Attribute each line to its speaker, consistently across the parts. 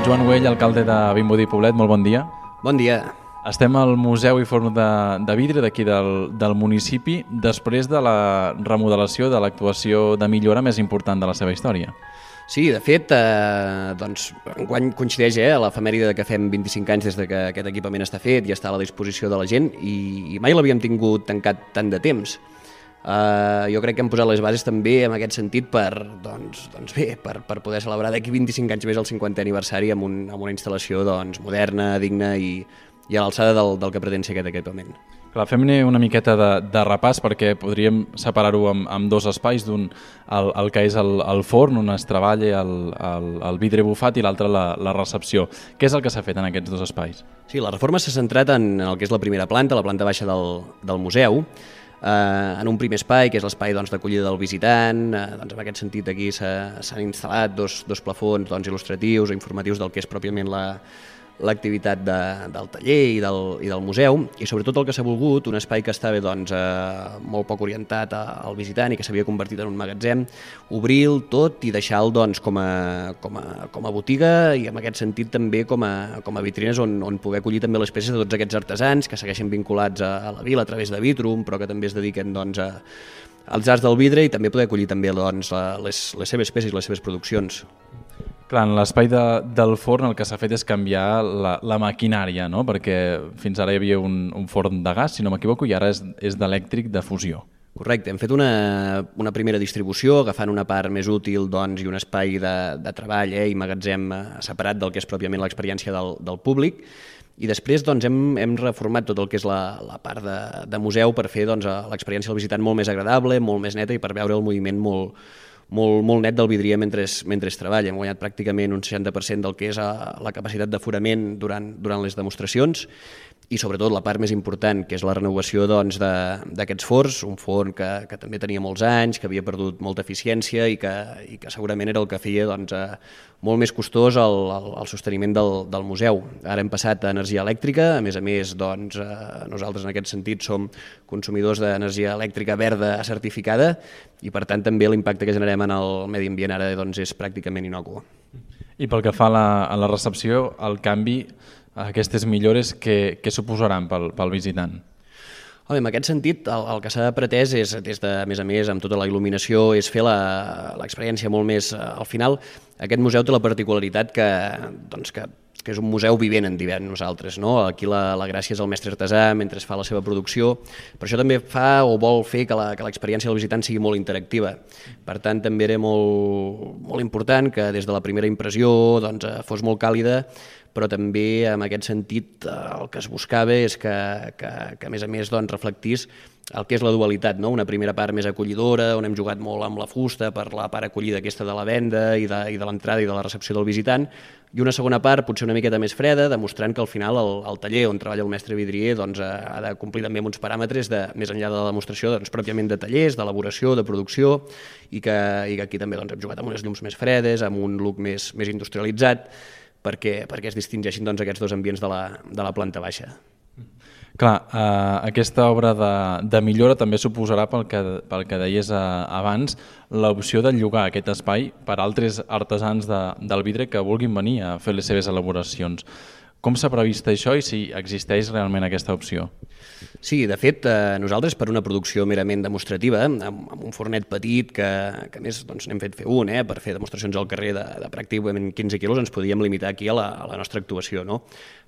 Speaker 1: Joan Güell, alcalde de Vimbodí i Poblet, molt bon dia.
Speaker 2: Bon dia.
Speaker 1: Estem al Museu i Forn de Vidre d'aquí del municipi després de la remodelació de l'actuació de millora més important de la seva història.
Speaker 2: Sí, de fet, enguany coincideix l'efemèride que fem 25 anys des que aquest equipament està fet i està a la disposició de la gent i mai l'havíem tingut tancat tant de temps. Jo crec que hem posat les bases també en aquest sentit per poder celebrar d'aquí 25 anys més el 50è aniversari amb una instal·lació moderna, digna i a l'alçada del que pretén ser aquest equipament.
Speaker 1: Clar, fem-ne una miqueta de repàs perquè podríem separar-ho amb dos espais, d'un el que és el forn on es treballa el vidre bufat i l'altre la recepció. Què és el que s'ha fet en aquests dos espais?
Speaker 2: Sí, la reforma s'ha centrat en el que és la primera planta, la planta baixa del museu, en un primer espai, que és l'espai d'acollida del visitant. En aquest sentit aquí s'han instal·lat dos plafons il·lustratius o informatius del que és pròpiament l'activitat del taller i del museu, i sobretot el que s'ha volgut, un espai que estava molt poc orientat al visitant i que s'havia convertit en un magatzem, obrir-lo tot i deixar-lo com a botiga i en aquest sentit també com a vitrines on poder acollir també les peces de tots aquests artesans que segueixen vinculats a la vila a través de Vitrum, però que també es dediquen als arts del vidre i també poder acollir també les seves peces i les seves produccions.
Speaker 1: Clar, en l'espai del forn el que s'ha fet és canviar la maquinària, no? Perquè fins ara hi havia un forn de gas, si no m'equivoco, i ara és d'elèctric de fusió.
Speaker 2: Correcte, hem fet una primera distribució agafant una part més útil i un espai de treball i magatzem separat del que és pròpiament l'experiència del públic, i després hem reformat tot el que és la part de museu per fer l'experiència del visitant molt més agradable, molt més neta i per veure el moviment molt net del vidrier mentre treballa. Hem guanyat pràcticament un 60% del que és la capacitat d'aforament durant les demostracions i sobretot la part més important, que és la renovació d'aquests forns, un forn que també tenia molts anys, que havia perdut molta eficiència i que segurament era el que feia molt més costós el sosteniment del museu. Ara hem passat a energia elèctrica, a més, nosaltres en aquest sentit som consumidors d'energia elèctrica verda certificada i per tant també l'impacte que generem en el medi ambient ara és pràcticament innocu.
Speaker 1: I pel que fa a la recepció, el canvi, aquestes millores, què suposaran pel visitant?
Speaker 2: En aquest sentit, el que s'ha pretès és, a més a més, amb tota la il·luminació, és fer l'experiència molt més... Al final, aquest museu té la particularitat que és un museu vivent, en diem nosaltres. Aquí la gràcia és el mestre artesà mentre es fa la seva producció, però això també fa o vol fer que l'experiència del visitant sigui molt interactiva. Per tant, també era molt important que des de la primera impressió fos molt càlida, però també en aquest sentit el que es buscava és que a més reflectís el que és la dualitat, una primera part més acollidora, on hem jugat molt amb la fusta per la part acollida aquesta de la venda i de l'entrada i de la recepció del visitant, i una segona part potser una miqueta més freda, demostrant que al final el taller on treballa el mestre vidrier ha de complir també amb uns paràmetres més enllà de la demostració pròpiament de tallers, d'elaboració, de producció, i que aquí també hem jugat amb unes llums més fredes, amb un look més industrialitzat, perquè es distingeixin aquests dos ambients de la planta baixa.
Speaker 1: Clar, aquesta obra de millora també suposarà, pel que deies abans, l'opció de llogar aquest espai per altres artesans del vidre que vulguin venir a fer les seves elaboracions. Com s'ha previst això i si existeix realment aquesta opció?
Speaker 2: Sí, de fet, nosaltres per una producció merament demostrativa, amb un fornet petit que a més n'hem fet fer un, per fer demostracions al carrer de pràcticament 15 quilos, ens podíem limitar aquí a la nostra actuació, no?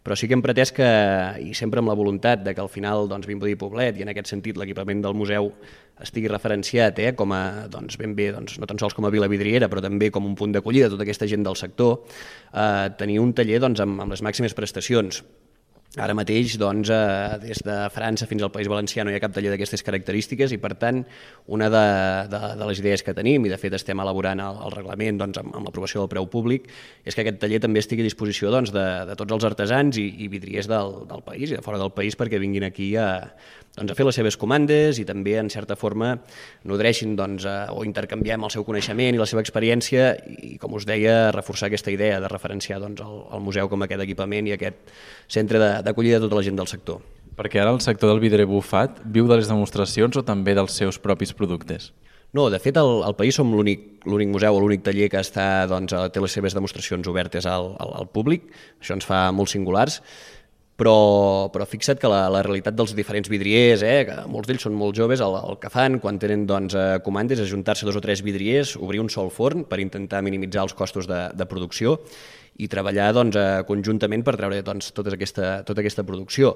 Speaker 2: Però sí que hem pretès que, i sempre amb la voluntat que al final Vimbodí i Poblet, i en aquest sentit l'equipament del museu estigui referenciat com a, ben bé, no tan sols com a vila vidriera, però també com un punt d'acollida de tota aquesta gent del sector, tenir un taller amb les màximes prestacions. Ara mateix, des de França fins al País Valencià no hi ha cap taller d'aquestes característiques i, per tant, una de les idees que tenim, i de fet estem elaborant el reglament amb l'aprovació del preu públic, és que aquest taller també estigui a disposició de tots els artesans i vidriers del país i de fora del país perquè vinguin aquí a fer les seves comandes i també, en certa forma, nodreixin o intercanviem el seu coneixement i la seva experiència i, com us deia, reforçar aquesta idea de referenciar el museu com aquest equipament i aquest centre d'acollida de tota la gent del sector.
Speaker 1: Perquè ara el sector del vidre bufat viu de les demostracions o també dels seus propis productes?
Speaker 2: No, de fet, al país som l'únic museu o l'únic taller que té les seves demostracions obertes al públic. Això ens fa molt singulars. Però fixa't que la realitat dels diferents vidriers, que molts d'ells són molt joves, el que fan quan tenen comandes és ajuntar-se 2 o 3 vidriers, obrir un sol forn per intentar minimitzar els costos de producció i treballar conjuntament per treure tota aquesta producció.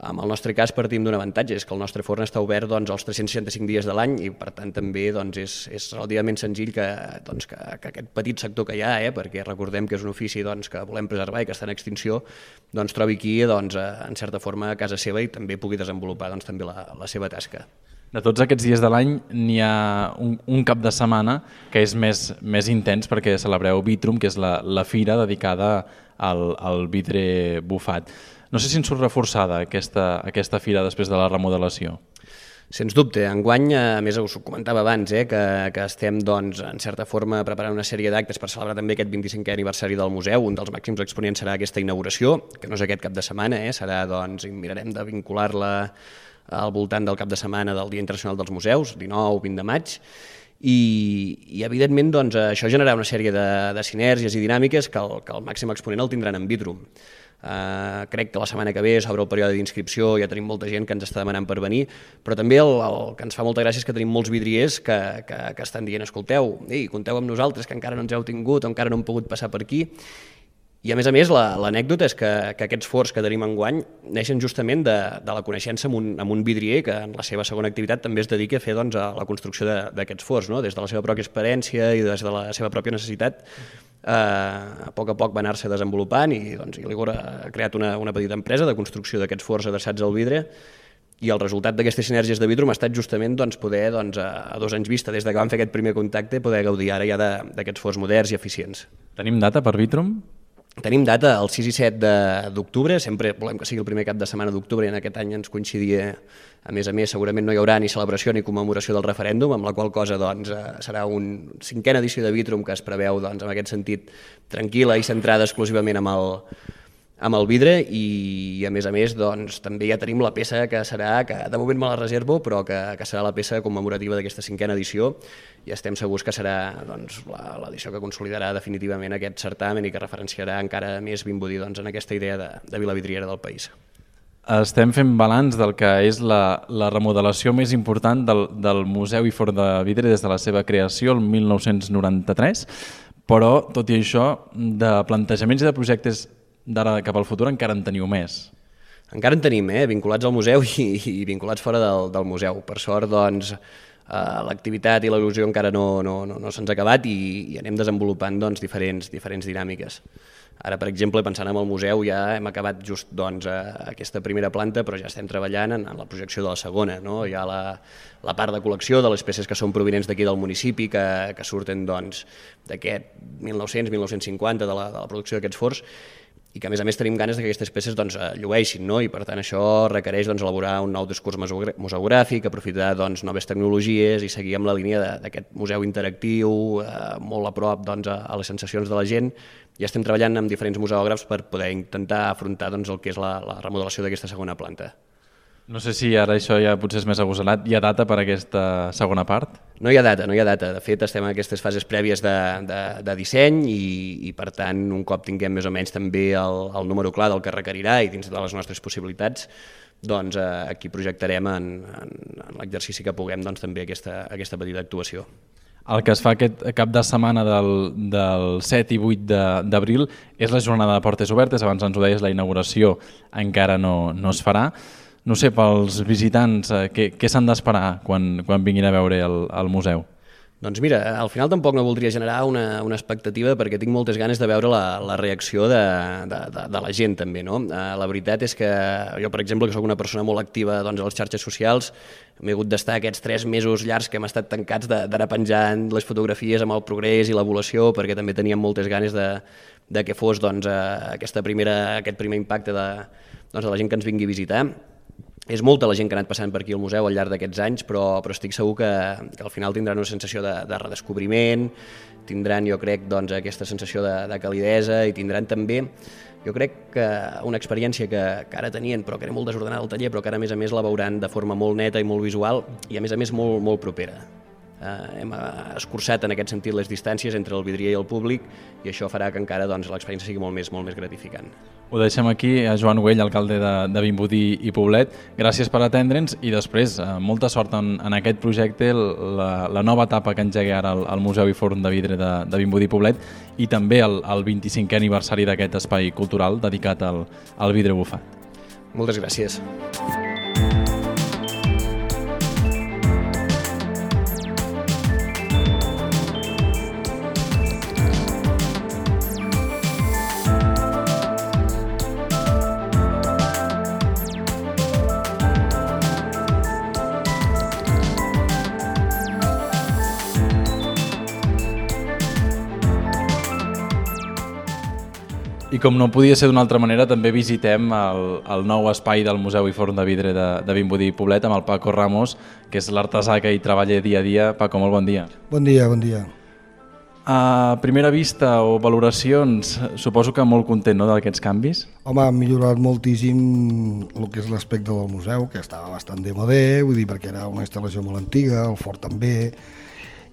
Speaker 2: En el nostre cas partim d'un avantatge, és que el nostre forn està obert els 365 dies de l'any i per tant també és relativament senzill que aquest petit sector que hi ha, perquè recordem que és un ofici que volem preservar i que està en extinció, trobi aquí en certa forma a casa seva i també pugui desenvolupar també la seva tasca.
Speaker 1: De tots aquests dies de l'any n'hi ha un cap de setmana que és més intens perquè celebreu Vitrum, que és la fira dedicada al vidre bufat. No sé si en surt reforçada aquesta fira després de la remodelació.
Speaker 2: Sens dubte. Enguany, a més us ho comentava abans, que estem en certa forma preparant una sèrie d'actes per celebrar també aquest 25è aniversari del museu. Un dels màxims exponents serà aquesta inauguració, que no és aquest cap de setmana, serà, mirarem de vincular-la al voltant del cap de setmana del Dia Internacional dels Museus, 19-20 de maig, i evidentment això generarà una sèrie de sinergies i dinàmiques que el màxim exponent el tindran en Vitrum. Crec que la setmana que ve s'obre el període d'inscripció, ja tenim molta gent que ens està demanant per venir, però també el que ens fa molta gràcia és que tenim molts vidriers que estan dient, escolteu, compteu amb nosaltres, que encara no ens heu tingut o encara no hem pogut passar per aquí. I a més, l'anècdota és que aquests forns que tenim enguany neixen justament de la coneixença amb un vidrier que en la seva segona activitat també es dedica a fer a la construcció d'aquests forns, des de la seva pròpia experiència i des de la seva pròpia necessitat. A poc va anar-se desenvolupant i l'Igor ha creat una petita empresa de construcció d'aquests forns adreçats al vidre i el resultat d'aquestes sinergies de Vitrum ha estat justament poder, a 2 anys vista des que vam fer aquest primer contacte, poder gaudir ara ja d'aquests forns moderns i eficients.
Speaker 1: Tenim data per Vitrum?
Speaker 2: Tenim data el 6 i 7 d'octubre, sempre volem que sigui el primer cap de setmana d'octubre i en aquest any ens coincidia, a més, segurament no hi haurà ni celebració ni commemoració del referèndum, amb la qual cosa serà una 5a edició de Vitrum que es preveu en aquest sentit tranquil·la i centrada exclusivament amb el vidre i a més també ja tenim la peça que serà, que de moment me la reservo, però que serà la peça commemorativa d'aquesta 5a edició i estem segurs que serà l'edició que consolidarà definitivament aquest certamen i que referenciarà encara més ben dir en aquesta idea de vila vidriera del país.
Speaker 1: Estem fent balanç del que és la remodelació més important del Museu i Forn de Vidre des de la seva creació el 1993, però tot i això de plantejaments i de projectes d'ara cap al futur encara en teniu més.
Speaker 2: Encara en tenim, vinculats al museu i vinculats fora del museu. Per sort, l'activitat i l'il·lusió encara no se'ns ha acabat i anem desenvolupant diferents dinàmiques. Ara, per exemple, pensant en el museu, ja hem acabat just aquesta primera planta, però ja estem treballant en la projecció de la segona. Hi ha la part de col·lecció de les peces que són provinents d'aquí del municipi, que surten d'aquest 1900-1950, de la producció d'aquests forns, i que a més tenim ganes que aquestes peces llueixin, i per tant això requereix elaborar un nou discurs museogràfic, aprofitar noves tecnologies i seguir amb la línia d'aquest museu interactiu, molt a prop a les sensacions de la gent. Ja estem treballant amb diferents museògrafs per poder intentar afrontar el que és la remodelació d'aquesta segona planta.
Speaker 1: No sé si ara això ja potser és més agosarat. Hi ha data per aquesta segona part?
Speaker 2: No hi ha data. De fet, estem en aquestes fases prèvies de disseny i per tant, un cop tinguem més o menys també el número clar del que requerirà i dins de les nostres possibilitats, aquí projectarem en l'exercici que puguem també aquesta petita actuació.
Speaker 1: El que es fa aquest cap de setmana del 7 i 8 d'abril és la jornada de portes obertes. Abans ens ho deies, la inauguració encara no es farà. No sé, pels visitants, què s'han d'esperar quan vinguin a veure el museu?
Speaker 2: Doncs mira, al final tampoc no voldria generar una expectativa perquè tinc moltes ganes de veure la reacció de la gent també. La veritat és que jo, per exemple, que soc una persona molt activa a les xarxes socials, m'he hagut d'estar aquests 3 mesos llargs que hem estat tancats d'anar penjant les fotografies amb el progrés i l'evolució perquè també teníem moltes ganes de que fos aquest primer impacte de la gent que ens vingui a visitar. És molta la gent que ha anat passant per aquí al museu al llarg d'aquests anys, però estic segur que al final tindran una sensació de redescobriment, tindran, jo crec, aquesta sensació de calidesa i tindran també, jo crec, que una experiència que ara tenien, però que era molt desordenada al taller, però que ara, a més la veuran de forma molt neta i molt visual i, a més molt propera. hem escurçat en aquest sentit les distàncies entre el vidrier i el públic, i això farà que encara l'experiència sigui molt més gratificant.
Speaker 1: Ho deixem aquí, a Joan Güell, alcalde de Vimbodí i Poblet. Gràcies per atendre'ns i després molta sort en aquest projecte, la nova etapa que engegui ara el Museu i Forn de Vidre de Vimbodí i Poblet, i també el 25è aniversari d'aquest espai cultural dedicat al vidre bufat.
Speaker 2: Moltes gràcies.
Speaker 1: I com no podia ser d'una altra manera, també visitem el nou espai del Museu i Forn de Vidre de Vimbodí i Poblet amb el Paco Ramos, que és l'artesà que hi treballa dia a dia. Paco, molt bon dia.
Speaker 3: Bon dia, bon dia.
Speaker 1: A primera vista o valoracions, suposo que molt content, no, d'aquests canvis?
Speaker 3: Home, ha millorat moltíssim el que és l'aspecte del museu, que estava bastant demodé, vull dir, perquè era una instal·lació molt antiga, el fort també,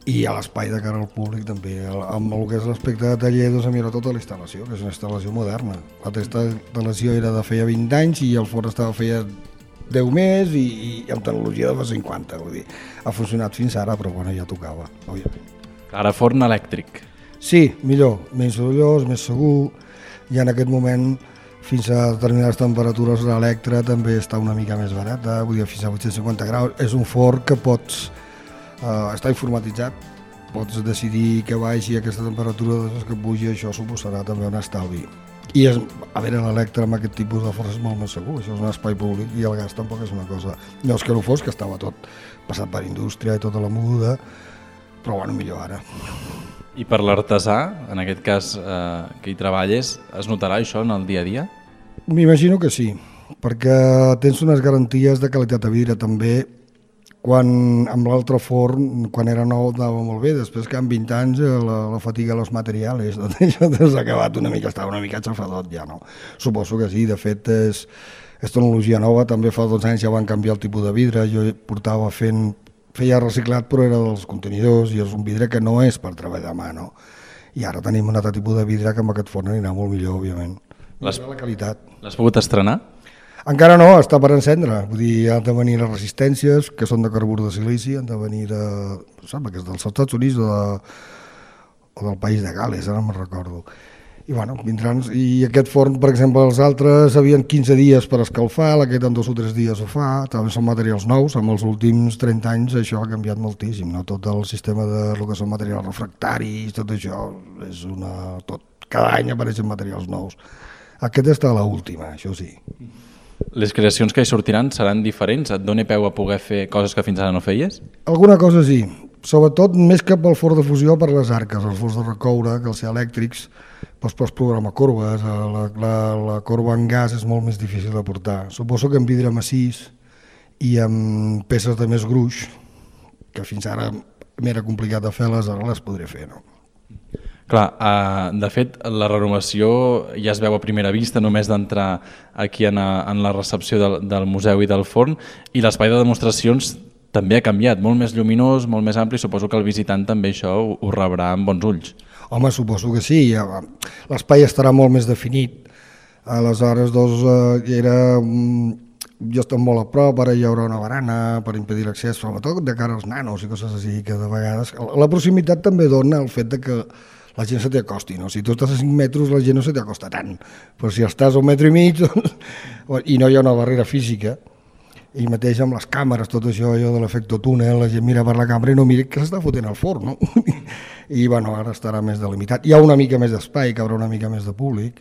Speaker 3: i a l'espai de cara al públic també. Amb el que és l'aspecte de taller, doncs ha millorat tota la instal·lació, que és una instal·lació moderna. L'altra instal·lació era de feia 20 anys i el fort estava feia 10 més i amb tecnologia de fa 50, vull dir. Ha funcionat fins ara, però bueno, ja tocava, òbviament.
Speaker 1: Ara forn elèctric.
Speaker 3: Sí, millor, menys sorollós, més segur, i en aquest moment fins a determinades temperatures l'Electra també està una mica més barata, vull dir, fins a 850 graus. És un forn que pots, està informatitzat, pots decidir que baixi aquesta temperatura, després que pugi, això suposarà també un estalvi. I a veure, l'Electra amb aquest tipus de forn és molt més segur, això és un espai públic i el gas tampoc és una cosa. No és que no fos, que estava tot passat per indústria i tota la moguda, però bueno, millor ara.
Speaker 1: I per l'artesà, en aquest cas que hi treballes, es notarà això en el dia a dia?
Speaker 3: M'imagino que sí, perquè tens unes garanties de qualitat de vidre també. Quan amb l'altre forn, quan era nou, anava molt bé, després que en 20 anys la fatiga dels materials, tot això s'ha acabat una mica, estava una mica xafadot ja, no? Suposo que sí, de fet és tecnologia nova, també fa 2 anys ja van canviar el tipus de vidre, jo feia reciclat però era dels contenidors i és un vidre que no és per treballar a mà, no? I ara tenim un altre tipus de vidre que amb aquest forn anirà molt millor, òbviament. La qualitat.
Speaker 1: L'has pogut estrenar?
Speaker 3: Encara no, està per encendre, vull dir, han de venir les resistències, que són de carbur de silici, han de venir sembla que és dels Estats Units o del país de Gales, ara no me'n recordo. I bueno, vindran, i aquest forn, per exemple, els altres havien 15 dies per escalfar, aquest en 2 o 3 dies ho fa, també són materials nous, amb els últims 30 anys això ha canviat moltíssim, no? Tot el sistema de lo que són materials refractaris, tot això, cada any apareixen materials nous. Aquest està a l'última, això sí.
Speaker 1: Les creacions que hi sortiran seran diferents? Et dona peu a poder fer coses que fins ara no feies?
Speaker 3: Alguna cosa sí, sobretot més que pel forn de fusió, per les arques, els forns de recoure, que els elèctrics, doncs pots programar corbes, la corba en gas és molt més difícil de portar. Suposo que en vidre massís i amb peces de més gruix, que fins ara m'era complicat de fer-les, ara les podré fer, no?
Speaker 1: Clar, de fet, la renovació ja es veu a primera vista, només d'entrar aquí en la recepció del museu i del forn, i l'espai de demostracions també ha canviat, molt més lluminós, molt més ampli, suposo que el visitant també això ho rebrà amb bons ulls.
Speaker 3: Home, suposo que sí, l'espai estarà molt més definit, aleshores jo estic molt a prop, ara hi haurà una barana per impedir l'accés, sobretot de cara als nanos i coses així, que de vegades... La proximitat també dona el fet de que la gent se t'acosti, no? Si tu estàs a 5 metres la gent no se t'acosta tant, però si estàs a 1,5 metres i no hi ha una barrera física, i mateix amb les càmeres, tot això, allò de l'efecte túnel, la gent mira per la càmera i no mira que s'està fotent al forn, no? I bueno, ara estarà més delimitat. Hi ha una mica més d'espai, que haurà una mica més de públic.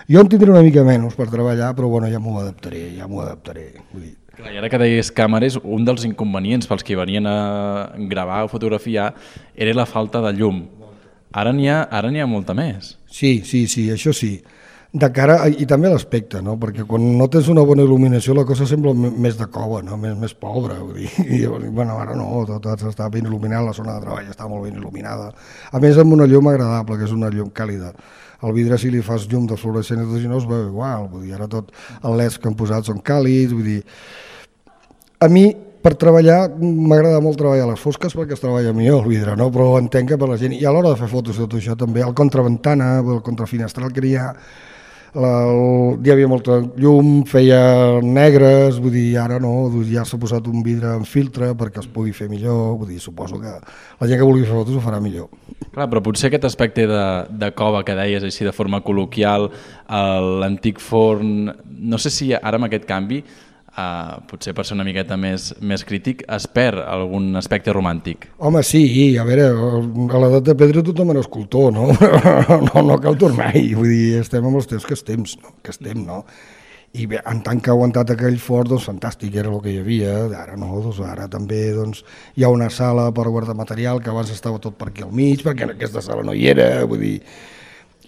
Speaker 3: Jo en tindré una mica menys per treballar, però bueno, ja m'ho adaptaré. Vull dir.
Speaker 1: I ara que deies càmeres, un dels inconvenients pels que venien a gravar o fotografiar era la falta de llum. Ara n'hi ha molta més.
Speaker 3: Sí, això sí. De cara, i també l'aspecte, no? Perquè quan no tens una bona il·luminació la cosa sembla més de cova, no? més pobra. Vull dir. I, bueno, ara no, tot està ben il·luminat, la zona de treball està molt ben il·luminada. A més amb una llum agradable, que és una llum càlida. El vidre, si li fas llum de fluorescent, no es veu igual. Vull dir, ara tot els LEDs que han posat són càlids. Vull dir, a mi per treballar, m'agrada molt treballar a les fosques perquè es treballa millor el vidre, no? Però entenc que per la gent, i a l'hora de fer fotos i tot això també, el contraventana, el contrafinestral que hi havia molta llum, feia negres, vull dir, ara no, ja s'ha posat un vidre en filtre perquè es pugui fer millor, vull dir, suposo que la gent que vulgui fer fotos ho farà millor.
Speaker 1: Clar, però potser aquest aspecte de cova que deies així de forma col·loquial, l'antic forn, no sé si ara amb aquest canvi, potser per ser una miqueta més crític, es perd algun aspecte romàntic.
Speaker 3: Home, sí, a veure, a l'edat de pedra tothom era escultor, no? No cal tornar-hi, vull dir, estem amb els temps que estem, no? I bé, en tant que ha aguantat aquell fort, doncs fantàstic, era el que hi havia, ara no, doncs ara també doncs, hi ha una sala per guardar material que abans estava tot per aquí al mig, perquè en aquesta sala no hi era, vull dir,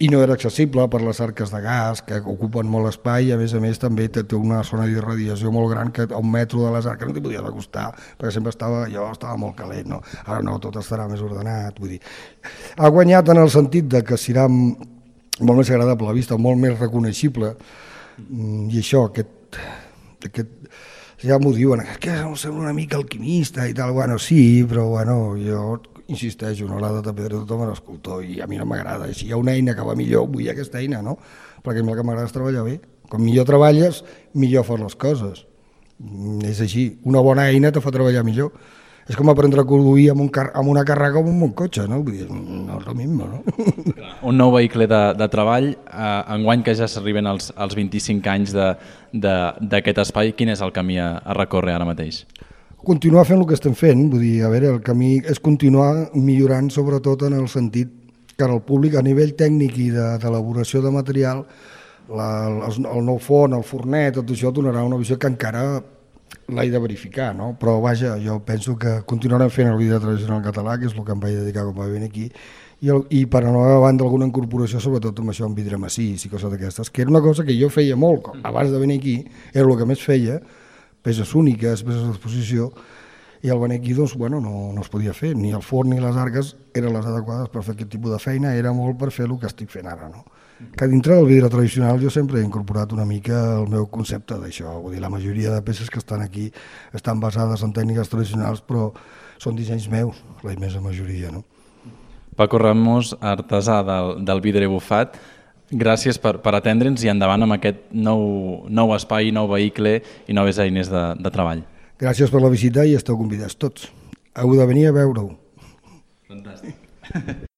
Speaker 3: i no era accessible per les arques de gas que ocupen molt espai i a més també té una zona d'irradiació molt gran que a 1 metro de les arques no t'hi podies acostar perquè sempre estava molt calent, no? Ara no, tot estarà més ordenat, vull dir. Ha guanyat en el sentit de que serà molt més agradable a la vista, molt més reconeixible i això, ja m'ho diuen, que sembla una mica alquimista i tal, bueno, sí, però bueno, jo insisteixo, no l'ha de pedra tothom era escultor i a mi no m'agrada, si hi ha una eina que va millor vull aquesta eina, no? Perquè a mi el que m'agrada és treballar bé, com millor treballes millor fas les coses, és així, una bona eina te fa treballar millor, és com aprendre a conduir amb una càrrega o amb un bon cotxe, no? Vull dir, no és el mismo, no?
Speaker 1: Un nou vehicle de treball, enguany que ja s'arriben als 25 anys d'aquest espai, quin és el camí a recórrer ara mateix?
Speaker 3: Continuar fent el que estem fent, vull dir, a veure, el camí és continuar millorant sobretot en el sentit que el públic a nivell tècnic i d'elaboració de material, el nou forn, el fornet, tot això donarà una visió que encara l'he de verificar, no? Però vaja, jo penso que continuarem fent el vidre tradicional català, que és el que em vaig dedicar quan vaig venir aquí, i per anar davant d'alguna incorporació, sobretot amb això, amb vidre massís i coses d'aquestes, que era una cosa que jo feia molt, abans de venir aquí, era el que més feia, peces úniques, peces d'exposició, i al venir aquí doncs, bueno, no es podia fer, ni el forn ni les arques eren les adequades per fer aquest tipus de feina, era molt per fer el que estic fent ara, no? Que dintre del vidre tradicional jo sempre he incorporat una mica el meu concepte d'això, vull dir, la majoria de peces que estan aquí estan basades en tècniques tradicionals, però són dissenys meus, la immensa majoria, no?
Speaker 1: Paco Ramos, artesà del vidre bufat, gràcies per atendre'ns i endavant amb aquest nou espai, nou vehicle i noves eines de treball.
Speaker 3: Gràcies per la visita i esteu convidats tots. Heu de venir a veure-ho.
Speaker 1: Fantàstic.